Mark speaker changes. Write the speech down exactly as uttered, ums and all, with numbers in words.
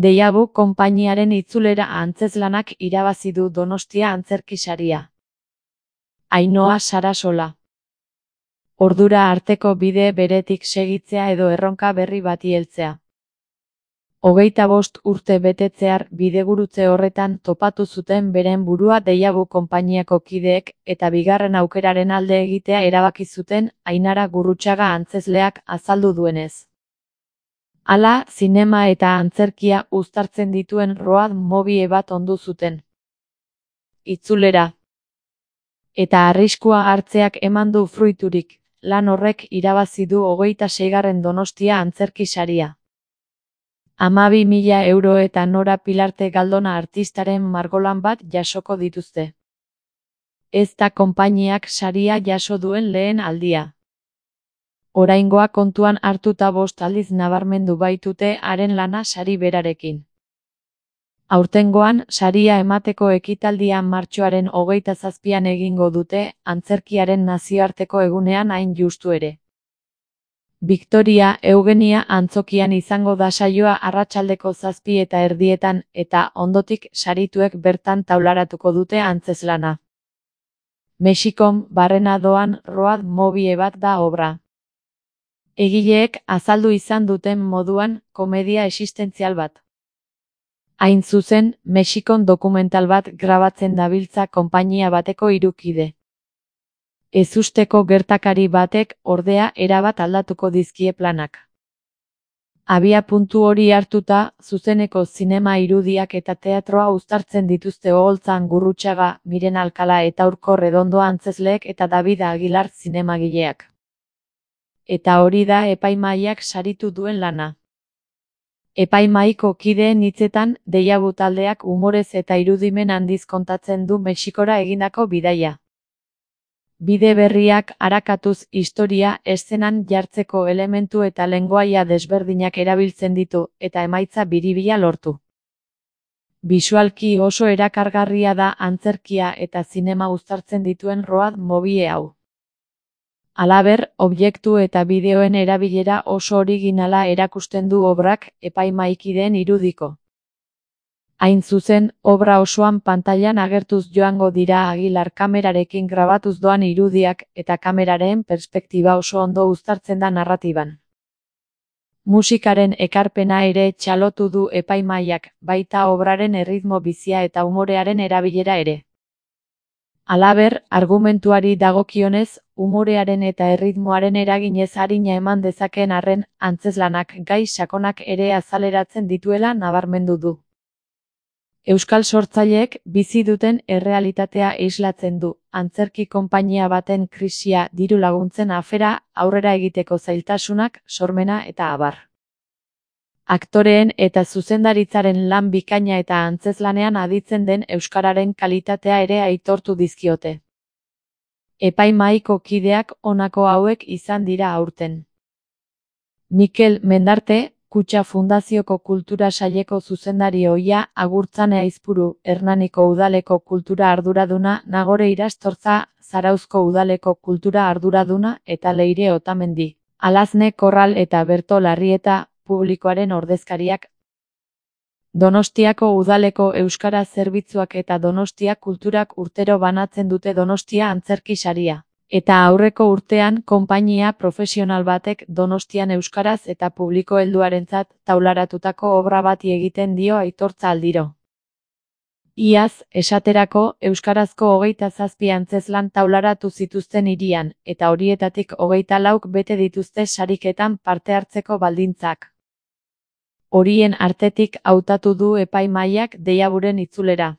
Speaker 1: Deiabu konpainiaren itzulera antzeslanak irabazi du Donostia Antzerki Saria. Ainhoa Sarasola. Ordura arteko bide beretik segitzea edo erronka berri bati heltzea. Hogeita bost urte betetzear bidegurutze horretan topatu zuten beren burua Deiabu konpainiako kideek eta bigarren aukeraren alde egitea erabaki zuten Ainara Gurrutxaga antzezleak azaldu duenez. Hala, zinema eta antzerkia uztartzen dituen road movie bat ondu zuten. Itzulera. Eta arriskua hartzeak eman du fruiturik, lan horrek irabazi du hogeita seigarren Donostia Antzerki Saria. Hamabi mila euro eta Nora Pilarte Galdona artistaren margolan bat jasoko dituzte. Ez da konpainiak saria jaso duen lehen aldia. Oraingoa kontuan hartuta bost aldiz nabarmendu baitute haren lana sari berarekin. Aurtengoan, saria emateko ekitaldia martxoaren hogeita zazpian egingo dute, antzerkiaren nazioarteko egunean hain justu ere. Victoria Eugenia antzokian izango da saioa arratsaldeko zazpi eta erdietan, eta ondotik sarituek bertan taularatuko dute antzeslana. Mexikon barrena doan road movie bat da obra. Egileek azaldu izan duten moduan, komedia existentzial bat. Hain zuzen, Mexikon dokumental bat grabatzen dabiltza konpainia bateko hiru kide. Ezusteko gertakari batek, ordea, erabat aldatuko dizkie planak. Abia puntu hori hartuta, zuzeneko zinema irudiak eta teatroa uztartzen dituzte Oholtzan Gurrutxaga, Miren Alkala eta Urko Redondo antzezleek eta David Aguilar zinemagileak. Eta hori da epaimahaiak saritu duen lana. Epaimahaiko kideen hitzetan, Deiabu taldeak umorez eta irudimen handiz kontatzen du Mexikora egindako bidaia. Bide berriak arakatuz historia eszenan jartzeko elementu eta lengoaia desberdinak erabiltzen ditu, eta emaitza biribila lortu. Bisualki oso erakargarria da antzerkia eta zinema uztartzen dituen road movie hau. Halaber, objektu eta bideoen erabilera oso originala erakusten du obrak epaimahaikideen irudiko. Hain zuzen, obra osoan pantailan agertuz joango dira Aguilar kamerarekin grabatuz doan irudiak eta kameraren perspektiba oso ondo uztartzen da narratiban. Musikaren ekarpena ere txalotu du epaimahaiak, baita obraren erritmo bizia eta umorearen erabilera ere. Halaber, argumentuari dagokionez, umorearen eta erritmoaren eraginez arina eman dezakeen arren, antzeslanak gai sakonak ere azaleratzen dituela nabarmendu du. Euskal sortzaileek bizi duten errealitatea islatzen du, antzerki konpainia baten krisia, diru laguntzen afera, aurrera egiteko zailtasunak, sormena eta abar. Aktoreen eta zuzendaritzaren lan bikaina eta antzeslanean aditzen den euskararen kalitatea ere aitortu dizkiote. Epaimahaiko kideak honako hauek izan dira aurten. Mikel Mendarte, Kutxa Fundazioko Kultura Saileko zuzendari ohia, Agurtzane Aizpuru, Hernaniko Udaleko Kultura Arduraduna, Nagore Irastortza, Zarauzko Udaleko Kultura Arduraduna eta Leire Otamendi. Alazne Korral eta Berto Larrieta, publikoaren ordezkariak. Donostiako Udaleko Euskara Zerbitzuak eta Donostia Kulturak urtero banatzen dute Donostia Antzerki Saria. Eta aurreko urtean, konpainia profesional batek Donostian euskaraz eta publiko helduarentzat taularatutako obra bati egiten dio aitortza aldiro. Iaz, esaterako, euskarazko hogeita zazpi antzezlan taularatu zituzten hirian, eta horietatik hogeita lauk bete dituzte sariketan parte hartzeko baldintzak. Horien artetik hautatu du epaimahaiak Deiaburen itzulera.